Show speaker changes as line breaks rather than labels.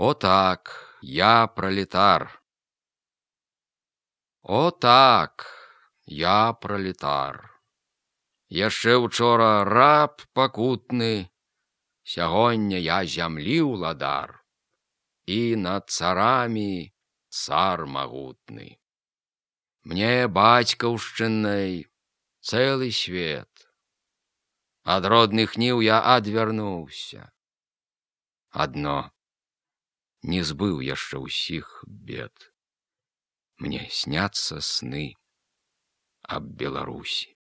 О так, я пролетар. О так, я пролетар. Яшчэ учора раб пакутны, сягоння я зямлі ўладар, і над царамі цар магутны. Мне бацькаўшчынай цэлы свет. Ад родных ніў я адвярнуўся. Адно не збыў яшчэ ўсіх бед. Мне сняцца сны аб Беларусі.